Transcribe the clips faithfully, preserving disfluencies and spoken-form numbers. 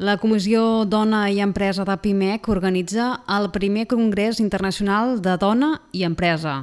La Comissió Dona i Empresa de Pimec organitza el primer Congrés Internacional de Dona i Empresa.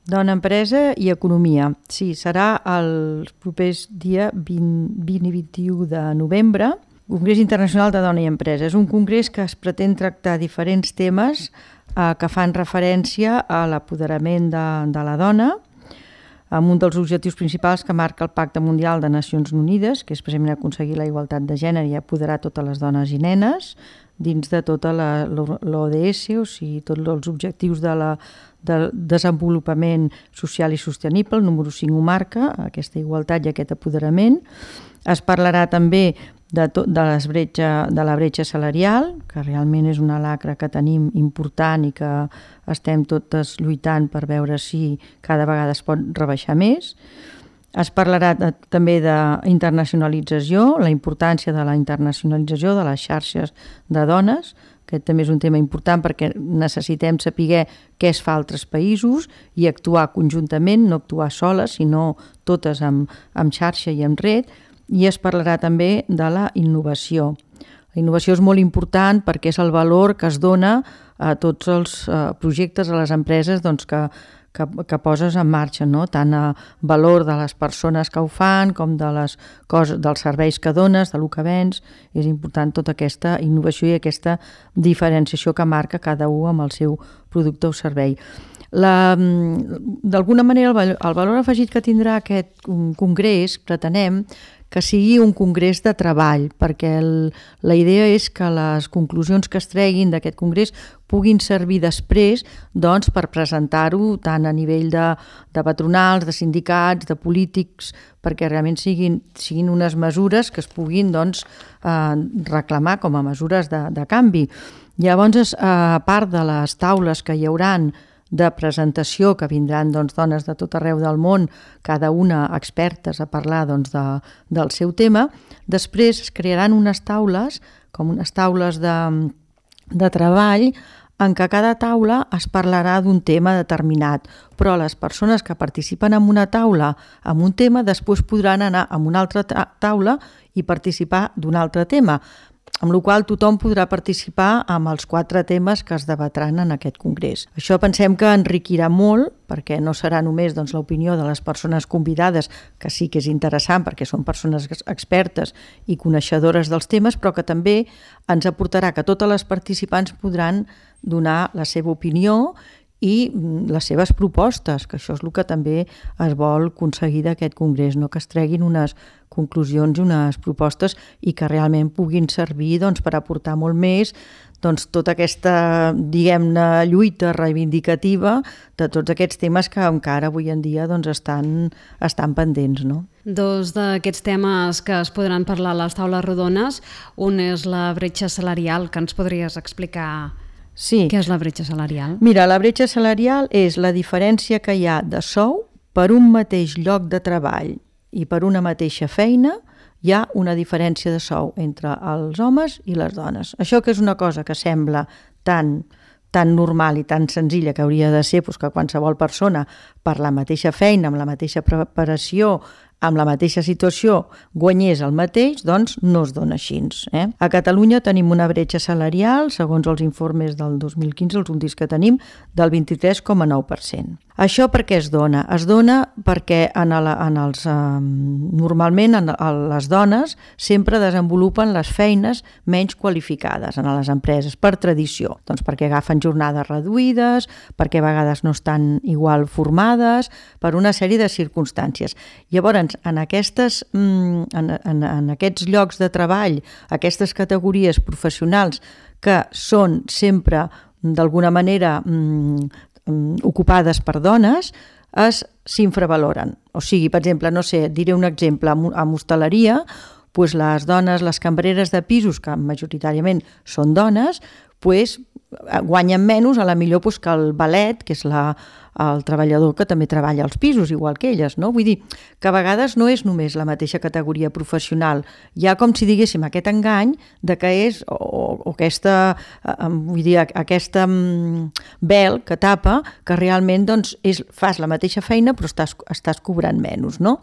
Dona, Empresa i Economia. Sí, serà els propers dia vint, vint i vint-i-u de novembre. Congrés Internacional de Dona i Empresa. És un congrés que es pretén tractar diferents temes eh, que fan referència a l'apoderament de, de la dona, amb un dels objectius principals que marca el Pacte Mundial de Nacions Unides, que és precisament aconseguir la igualtat de gènere i apoderar totes les dones i nenes dins de tota l'O D S, o sigui, tots els objectius de la, del desenvolupament social i sostenible. El número cinc ho marca, aquesta igualtat i aquest apoderament. Es parlarà també de, tot, de, les bretxa, de la bretxa salarial, que realment és una lacra que tenim important i que estem totes lluitant per veure si cada vegada es pot rebaixar més. Es parlarà de, també d'internacionalització, la importància de la internacionalització de les xarxes de dones. Aquest també és un tema important perquè necessitem saber què es fa a altres països i actuar conjuntament, no actuar soles, sinó totes amb, amb xarxa i amb red. I es parlarà també de la innovació. La innovació és molt important perquè és el valor que es dona a tots els projectes, a les empreses doncs, que, que, que poses en marxa, no? Tant a valor de les persones que ho fan com de les coses, dels serveis que dones, de lo que vens. És important tota aquesta innovació i aquesta diferenciació que marca cada un amb el seu producte o servei. D'alguna manera el, el valor afegit que tindrà aquest congrés, pretenem que sigui un congrés de treball, perquè el, la idea és que les conclusions que es treguin d'aquest congrés puguin servir després doncs, per presentar-ho tant a nivell de, de patronals, de sindicats, de polítics, perquè realment siguin, siguin unes mesures que es puguin doncs, eh, reclamar com a mesures de, de canvi. Llavors, a part de les taules que hi hauran de presentació, que vindran doncs, dones de tot arreu del món, cada una expertes a parlar doncs, de, del seu tema. Després es crearan unes taules, com unes taules de, de treball, en què cada taula es parlarà d'un tema determinat, però les persones que participen en una taula amb un tema després podran anar a una altra taula i participar d'un altre tema, amb la qual tothom podrà participar amb els quatre temes que es debatran en aquest congrés. Això pensem que enriquirà molt, perquè no serà només doncs, l'opinió de les persones convidades, que sí que és interessant perquè són persones expertes i coneixedores dels temes, però que també ens aportarà que totes les participants podran donar la seva opinió i les seves propostes, que això és el que també es vol aconseguir d'aquest congrés, no? Que es treguin unes conclusions i unes propostes i que realment puguin servir doncs, per aportar molt més doncs, tota aquesta, diguem-ne, lluita reivindicativa de tots aquests temes que encara avui en dia doncs, estan, estan pendents, no? Dos d'aquests temes que es podran parlar a les taules rodones, un és la bretxa salarial, que ens podries explicar. Sí. Què és la bretxa salarial? Mira, la bretxa salarial és la diferència que hi ha de sou per un mateix lloc de treball i per una mateixa feina. Hi ha una diferència de sou entre els homes i les dones. Això que és una cosa que sembla tan, tan normal i tan senzilla que hauria de ser doncs, que qualsevol persona per la mateixa feina, amb la mateixa preparació, amb la mateixa situació guanyés el mateix, doncs no es dona així. Eh? A Catalunya tenim una bretxa salarial, segons els informes del dos mil quinze, els últims que tenim, del vint-i-tres coma nou per cent. Això per què es dona? Es dona perquè en el, en els, eh, normalment en, en les dones sempre desenvolupen les feines menys qualificades en les empreses, per tradició. Doncs perquè agafen jornades reduïdes, perquè a vegades no estan igual formades, per una sèrie de circumstàncies. Llavors, en, aquestes, en, en, en aquests llocs de treball, aquestes categories professionals que són sempre d'alguna manera ocupades per dones, es s'infravaloren. O sigui, per exemple, no sé, diré un exemple, amb hostaleria, doncs les dones, les cambreres de pisos, que majoritàriament són dones, doncs guanyen menys a la millor doncs, que el valet, que és la, el treballador que també treballa als pisos, igual que elles, no? Vull dir que a vegades no és només la mateixa categoria professional. Hi ha com si diguéssim aquest engany de que és, o, o aquesta, vull dir, aquesta vel que tapa, que realment doncs, és, fas la mateixa feina però estàs, estàs cobrant menys, no?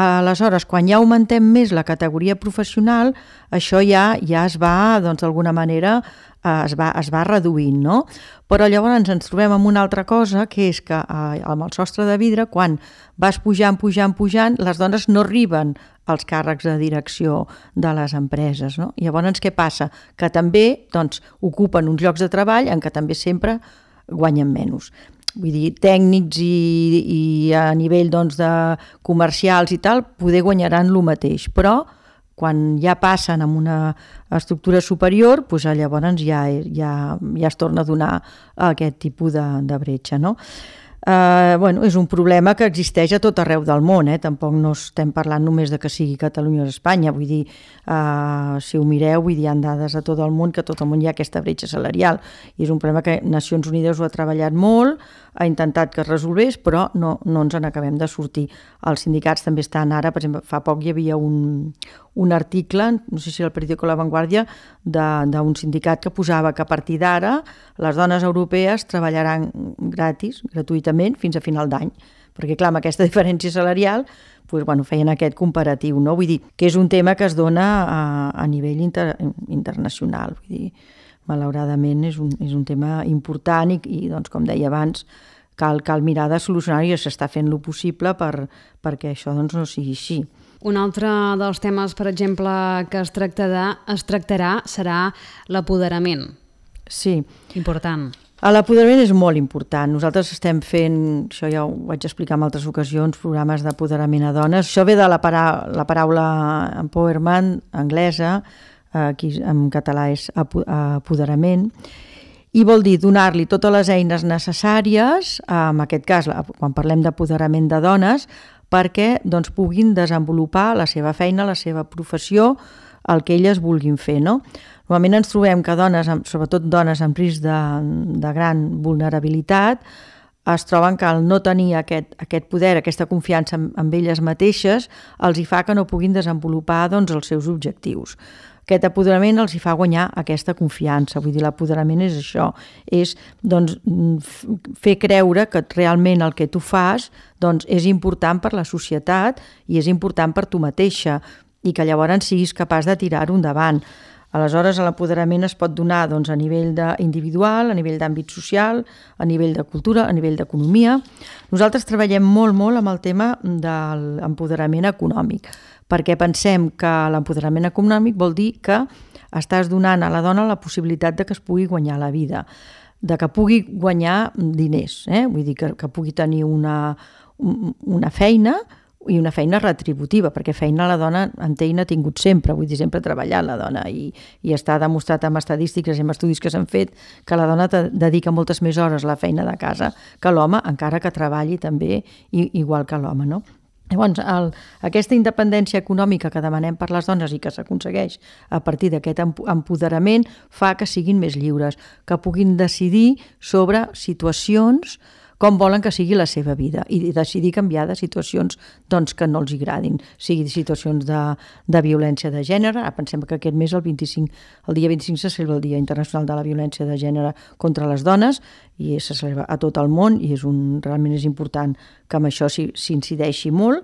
Aleshores, quan ja augmentem més la categoria professional, això ja ja es va, doncs, d'alguna manera, es va, es va reduint, no? Però llavors ens trobem amb una altra cosa, que és que eh, amb el sostre de vidre, quan vas pujant, pujant, pujant, les dones no arriben als càrrecs de direcció de les empreses, no? I llavors què passa? Que també, doncs, ocupen uns llocs de treball en què també sempre guanyen menys. Vull dir, tècnics i, i a nivell, doncs, de comercials i tal, poder guanyaran el mateix, però quan ja passen amb una estructura superior, doncs llavors ja, ja, ja es torna a donar aquest tipus de, de bretxa, no? Uh, bueno, és un problema que existeix a tot arreu del món, eh? Tampoc no estem parlant només de que sigui Catalunya o Espanya, vull dir, uh, si ho mireu, vull dir, hi ha dades a tot el món que a tot el món hi ha aquesta bretxa salarial, i és un problema que Nacions Unides ho ha treballat molt, ha intentat que es resolgués, però no, no ens en acabem de sortir. Els sindicats també estan ara, per exemple, fa poc hi havia un, un article, no sé si el periòdico La Vanguardia, d'un sindicat que posava que a partir d'ara les dones europees treballaran gratis, gratuïtament, fins a final d'any. Perquè, clar, amb aquesta diferència salarial, doncs, bueno, feien aquest comparatiu, no? Vull dir, que és un tema que es dona a, a nivell inter, internacional, vull dir, malauradament és un, és un tema important i, i doncs, com deia abans, cal, cal mirar de solucionar i s'està fent el possible per, perquè això doncs, no sigui així. Un altre dels temes, per exemple, que es tractarà, es tractarà serà l'apoderament. Sí. Important. L'apoderament és molt important. Nosaltres estem fent, això ja ho vaig explicar en altres ocasions, programes d'apoderament a dones. Això ve de la, para, la paraula empowerment anglesa, aquí en català és apoderament, i vol dir donar-li totes les eines necessàries, en aquest cas, quan parlem d'apoderament de dones, perquè doncs, puguin desenvolupar la seva feina, la seva professió, el que elles vulguin fer, no? Normalment ens trobem que dones, sobretot dones amb risc de, de gran vulnerabilitat, es troben que al no tenir aquest, aquest poder, aquesta confiança en, en elles mateixes, els hi fa que no puguin desenvolupar doncs, els seus objectius. Aquest apoderament els hi fa guanyar aquesta confiança, vull dir, l'apoderament és això, és doncs, fer creure que realment el que tu fas doncs, és important per la societat i és important per tu mateixa i que llavors siguis capaç de tirar-ho endavant. Aleshores, l'apoderament es pot donar doncs, a nivell individual, a nivell d'àmbit social, a nivell de cultura, a nivell d'economia. Nosaltres treballem molt, molt amb el tema de l'empoderament econòmic, perquè pensem que l'empoderament econòmic vol dir que estàs donant a la dona la possibilitat de que es pugui guanyar la vida, de que pugui guanyar diners, eh? Vull dir que, que pugui tenir una, una feina i una feina retributiva, perquè feina la dona en té i n'ha tingut sempre, vull dir, sempre ha treballat la dona i, i està demostrat amb estadístiques i amb estudis que s'han fet que la dona dedica moltes més hores a la feina de casa que l'home, encara que treballi també igual que l'home, no? Llavors, el, aquesta independència econòmica que demanem per les dones i que s'aconsegueix a partir d'aquest empoderament fa que siguin més lliures, que puguin decidir sobre situacions com volen que sigui la seva vida i decidir canviar de situacions doncs, que no els agradin, sigui situacions de, de violència de gènere. Ara pensem que aquest mes, el, vint-i-cinc, el dia vint-i-cinc, se celebra el Dia Internacional de la Violència de Gènere contra les Dones i se celebra a tot el món i és un, realment és important que amb això s'incideixi molt.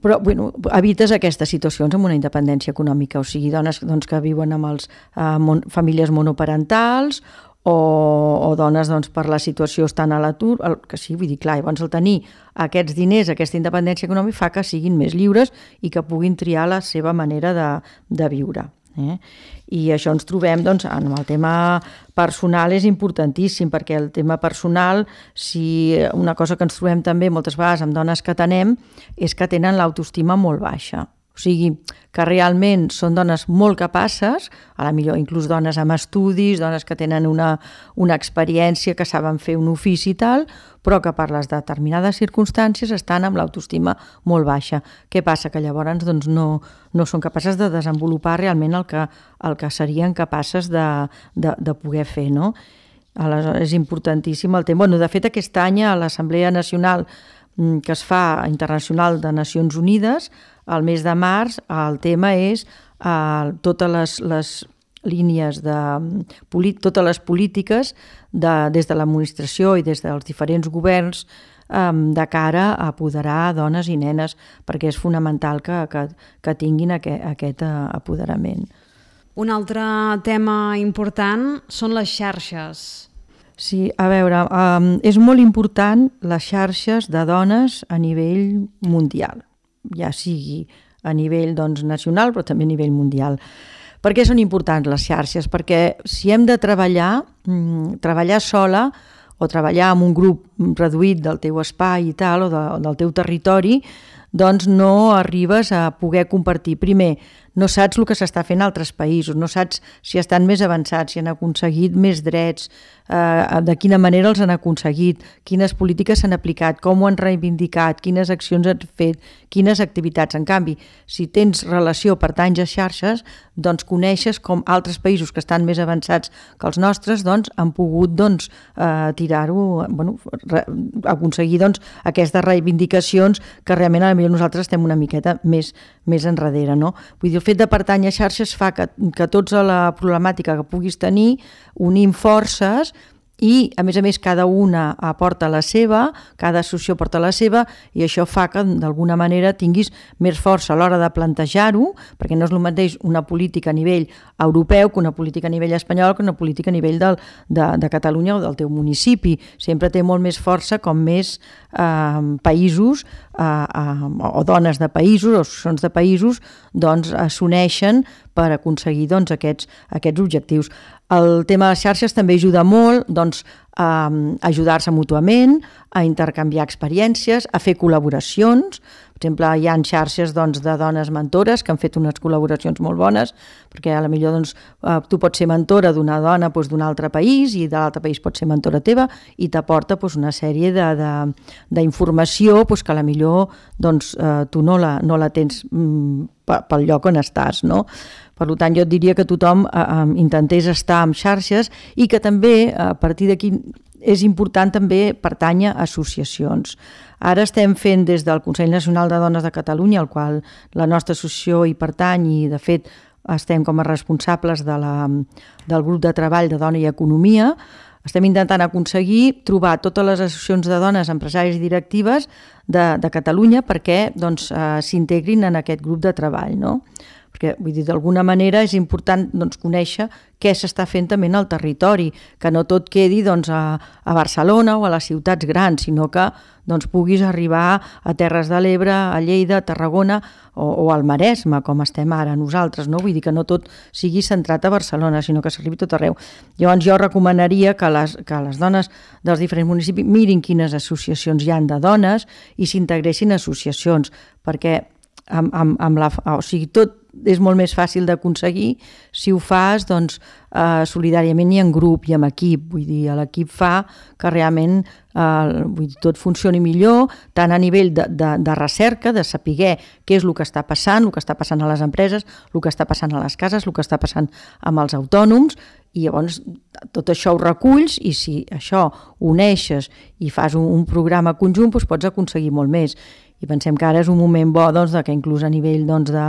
Però bueno, evites aquestes situacions amb una independència econòmica, o sigui, dones doncs, que viuen amb els, eh, mon, famílies monoparentals o, o dones doncs, per la situació estan a l'atur, que sí, vull dir, clar, llavors el tenir aquests diners, aquesta independència econòmica fa que siguin més lliures i que puguin triar la seva manera de, de viure. Eh? I això ens trobem, doncs, en el tema personal és importantíssim, perquè el tema personal, si una cosa que ens trobem també moltes vegades amb dones que atenem, és que tenen l'autoestima molt baixa. O sigui, que realment són dones molt capaces, a la millor inclús dones amb estudis, dones que tenen una, una experiència, que saben fer un ofici i tal, però que per les determinades circumstàncies estan amb l'autoestima molt baixa. Què passa? Que llavors doncs, no, no són capaces de desenvolupar realment el que, el que serien capaces de, de, de poder fer, no? Aleshores, és importantíssim el tema. Bueno, de fet, aquest any a l'Assemblea Nacional que es fa internacional de Nacions Unides, al mes de març, el tema és eh, totes les, les línies de totes les polítiques de, des de l'administració i des dels diferents governs um, de cara a apoderar dones i nenes, perquè és fonamental que, que, que tinguin aquest, aquest apoderament. Un altre tema important són les xarxes. Sí, a veure, um, és molt important les xarxes de dones a nivell mundial, ja sigui a nivell doncs, nacional però també a nivell mundial. Per què són importants les xarxes? Perquè si hem de treballar, mmm, treballar sola o treballar en un grup reduït del teu espai i tal, o, de, o del teu territori, doncs no arribes a poder compartir. Primer, no saps el que s'està fent a altres països, no saps si estan més avançats, si han aconseguit més drets, eh, de quina manera els han aconseguit, quines polítiques s'han aplicat, com ho han reivindicat, quines accions han fet, quines activitats. En canvi, si tens relació, pertanys a xarxes, doncs coneixes com altres països que estan més avançats que els nostres doncs, han pogut doncs, eh, tirar-ho, bueno, re, aconseguir doncs, aquestes reivindicacions que realment a millor nosaltres estem una miqueta més, més enrere. No? Vull dir, el fet de pertànyer a xarxes fa que, que tots a la problemàtica que puguis tenir unim forces i, a més a més, cada una aporta la seva, cada associació aporta la seva i això fa que, d'alguna manera, tinguis més força a l'hora de plantejar-ho, perquè no és el mateix una política a nivell europeu que una política a nivell espanyol que una política a nivell del, de, de Catalunya o del teu municipi. Sempre té molt més força com més eh, països eh, eh, o dones de països o associacions de països doncs, s'uneixen per aconseguir doncs, aquests, aquests objectius. El tema de les xarxes també ajuda molt doncs, a ajudar-se mútuament, a intercanviar experiències, a fer col·laboracions. Per exemple, hi ha xarxes doncs, de dones mentores que han fet unes col·laboracions molt bones, perquè a la millor doncs, tu pots ser mentora d'una dona doncs, d'un altre país i de l'altre país pots ser mentora teva i t'aporta doncs, una sèrie d'informació doncs, que a la millor doncs, tu no la, no la tens mm, pel lloc on estàs, no? Per tant, jo et diria que tothom eh, intentés estar en xarxes i que també, a partir d'aquí, és important també pertànyer a associacions. Ara estem fent des del Consell Nacional de Dones de Catalunya, al qual la nostra associació hi pertany i, de fet, estem com a responsables de la, del grup de treball de Dona i Economia. Estem intentant aconseguir trobar totes les associacions de dones empresàries i directives de, de Catalunya perquè doncs, eh, s'integrin en aquest grup de treball, no? Perquè, vull dir, d'alguna manera és important doncs, conèixer què s'està fent també en el territori, que no tot quedi doncs, a, a Barcelona o a les ciutats grans, sinó que doncs, puguis arribar a Terres de l'Ebre, a Lleida, a Tarragona o, o al Maresme, com estem ara nosaltres, no? Vull dir que no tot sigui centrat a Barcelona, sinó que s'arribi tot arreu. Llavors jo recomanaria que les, que les dones dels diferents municipis mirin quines associacions hi ha de dones i s'integressin a associacions, perquè amb, amb, amb la, o sigui, tot és molt més fàcil d'aconseguir si ho fas doncs, eh, solidàriament i en grup i amb equip. Vull dir, l'equip fa que realment eh, vull dir, tot funcioni millor, tant a nivell de, de, de recerca, de saber què és el que està passant, el que està passant a les empreses, el que està passant a les cases, el que està passant amb els autònoms, i llavors tot això ho reculls i si això ho uneixes i fas un, un programa conjunt doncs pots aconseguir molt més. I pensem que ara és un moment bo doncs, que inclús a nivell doncs, de,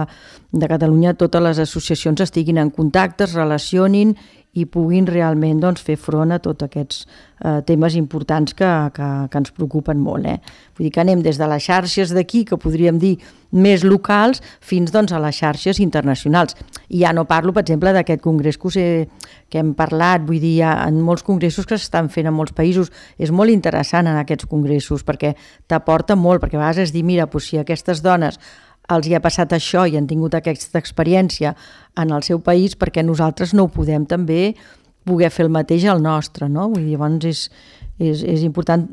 de Catalunya totes les associacions estiguin en contacte, es relacionin i puguin realment doncs, fer front a tots aquests eh, temes importants que, que, que ens preocupen molt. Eh? Vull dir que anem des de les xarxes d'aquí, que podríem dir més locals, fins doncs, a les xarxes internacionals. I ja no parlo, per exemple, d'aquest congrés que, us he, que hem parlat, vull dir, hi ha en molts congressos que s'estan fent en molts països. És molt interessant en aquests congressos perquè t'aporta molt, perquè a vegades és dir, mira, doncs, si aquestes dones els hi ha passat això i han tingut aquesta experiència en el seu país, perquè nosaltres no ho podem també poder fer el mateix al nostre, no? Vull dir, llavors és, és, és important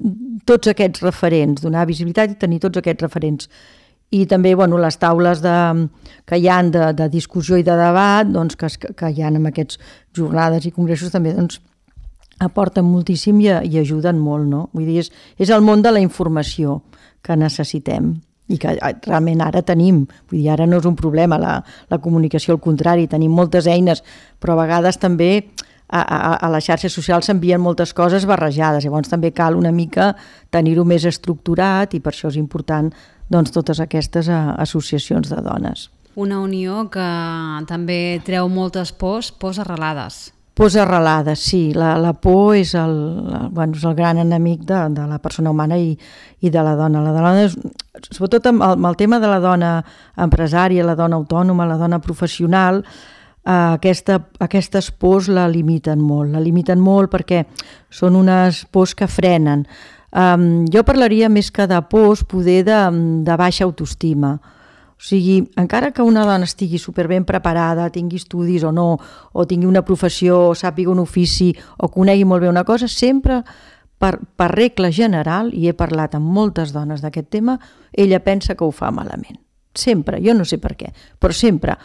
tots aquests referents, donar visibilitat i tenir tots aquests referents. I també bueno, les taules de, que hi ha de, de discussió i de debat, doncs, que, que hi ha en aquests jornades i congressos també doncs, aporten moltíssim i, i ajuden molt, no? Vull dir, és, és el món de la informació que necessitem i que realment ara tenim, vull dir, ara no és un problema la, la comunicació, al contrari, tenim moltes eines, però a vegades també a, a, a les xarxes socials s'envien moltes coses barrejades, llavors també cal una mica tenir-ho més estructurat i per això és important doncs, totes aquestes a, associacions de dones. Una unió que també treu moltes pors, pors arrelades. Pors arrelades, sí. La, la por és el, bueno, és el gran enemic de, de la persona humana i, i de la dona. La dona és, sobretot amb el, amb el tema de la dona empresària, la dona autònoma, la dona professional, eh, aquesta, aquestes pors la limiten molt. La limiten molt perquè són unes pors que frenen. Um, jo parlaria més que de pors, poder de, de baixa autoestima. O sigui, encara que una dona estigui superben preparada, tingui estudis o no, o tingui una professió, o sàpiga un ofici, o conegui molt bé una cosa, sempre, per, per regla general, i he parlat amb moltes dones d'aquest tema, ella pensa que ho fa malament. Sempre, jo no sé per què, però sempre.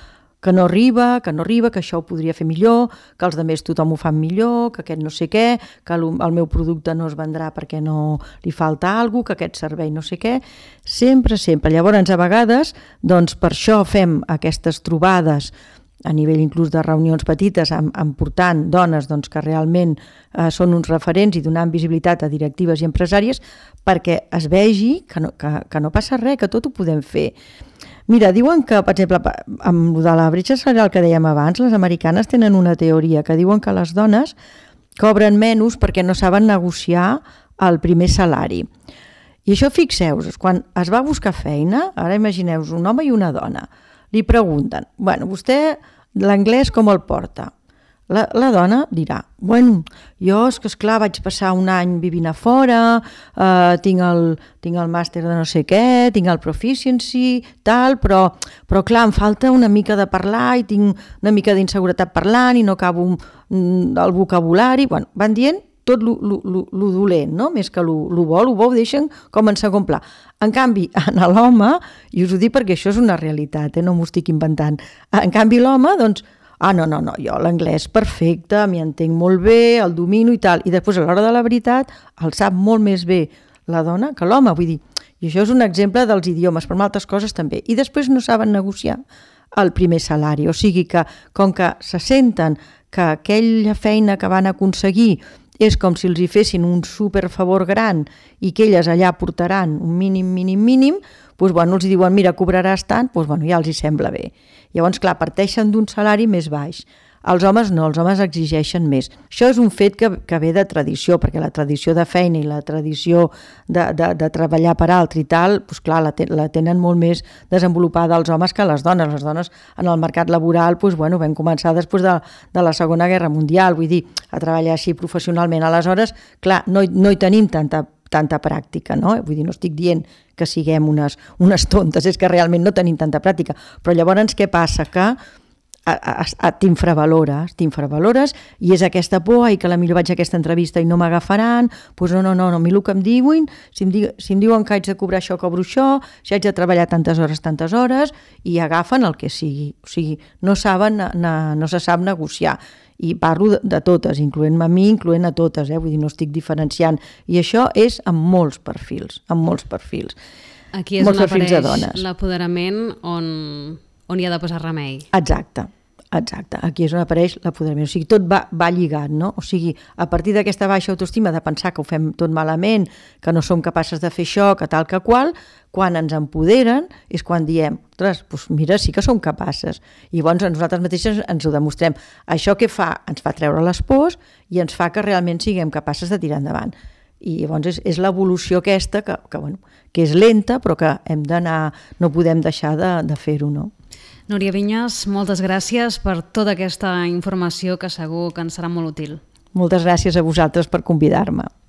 Que no arriba, que no arriba, que això ho podria fer millor, que els altres tothom ho fan millor, que aquest no sé què, que el, el meu producte no es vendrà perquè no li falta alguna cosa, que aquest servei no sé què. Sempre, sempre. Llavors, a vegades, doncs per això fem aquestes trobades a nivell inclús de reunions petites, portant dones doncs, que realment eh, són uns referents i donant visibilitat a directives i empresàries perquè es vegi que no, que, que no passa res, que tot ho podem fer. Mira, diuen que, per exemple, amb de la bretxa salarial que dèiem abans, les americanes tenen una teoria que diuen que les dones cobren menys perquè no saben negociar el primer salari. I això, fixeu-vos, quan es va a buscar feina, ara imagineu-vos un home i una dona, li pregunten, bueno, vostè l'anglès com el porta? La, la dona dirà, bueno, jo és que esclar vaig passar un any vivint a fora, eh, tinc, el, tinc el màster de no sé què, tinc el proficiency, tal, però, però clar, em falta una mica de parlar i tinc una mica d'inseguretat parlant i no acabo mm, el vocabulari. Bueno, van dient tot lo, lo, lo, lo dolent, no? Més que lo, lo bo, lo bo ho deixen com en segon pla. En canvi, en l'home, i us ho dic perquè això és una realitat, eh? No m'ho estic inventant, en canvi l'home, doncs, ah, no, no, no, jo l'anglès perfecte, m'hi entenc molt bé, el domino i tal, i després a l'hora de la veritat el sap molt més bé la dona que l'home, vull dir, i això és un exemple dels idiomes, però amb altres coses també, i després no saben negociar el primer salari, o sigui que com que se senten que aquella feina que van aconseguir és com si els hi fessin un superfavor gran i que elles allà portaran un mínim, mínim, mínim, doncs, bueno, els diuen, mira, cobraràs tant, doncs, bueno, ja els hi sembla bé. Llavors, clar, parteixen d'un salari més baix. Els homes no, els homes exigeixen més. Això és un fet que, que ve de tradició, perquè la tradició de feina i la tradició de, de, de treballar per altre i tal, doncs clar, la, te, la tenen molt més desenvolupada els homes que les dones. Les dones en el mercat laboral doncs, bueno, vam començar després de, de la Segona Guerra Mundial, vull dir, a treballar així professionalment. Aleshores, clar, no, no hi tenim tanta tanta pràctica, no? Vull dir, no estic dient que siguem unes, unes tontes, és que realment no tenim tanta pràctica, però llavors què passa? Que t'infravalores, t'infravalores i és aquesta por, ai, que potser vaig a aquesta entrevista i no m'agafaran, doncs no, no, no, no, a mi el que em diuen, si em, di, si em diuen que haig de cobrar això, cobro això, si haig de treballar tantes hores, tantes hores, i agafen el que sigui, o sigui, no saben, no se sap negociar. I parlo de totes, incloent-me a mi, incloent a totes, eh? Vull dir, no estic diferenciant. I això és amb molts perfils, amb molts perfils. Aquí és on apareix l'apoderament on, on hi ha de posar remei. Exacte, exacte. Aquí és on apareix l'apoderament. O sigui, tot va, va lligat, no? O sigui, a partir d'aquesta baixa autoestima de pensar que ho fem tot malament, que no som capaces de fer això, que tal que qual, quan ens empoderen és quan diem, ostres, doncs mira, sí que som capaces. I llavors nosaltres mateixes ens ho demostrem. Això què fa? Ens fa treure les pors i ens fa que realment siguem capaces de tirar endavant. I llavors és, és l'evolució aquesta que, que, bueno, que és lenta però que hem d'anar, no podem deixar de, de fer-ho, no? Núria Vinyes, moltes gràcies per tota aquesta informació que segur que ens serà molt útil. Moltes gràcies a vosaltres per convidar-me.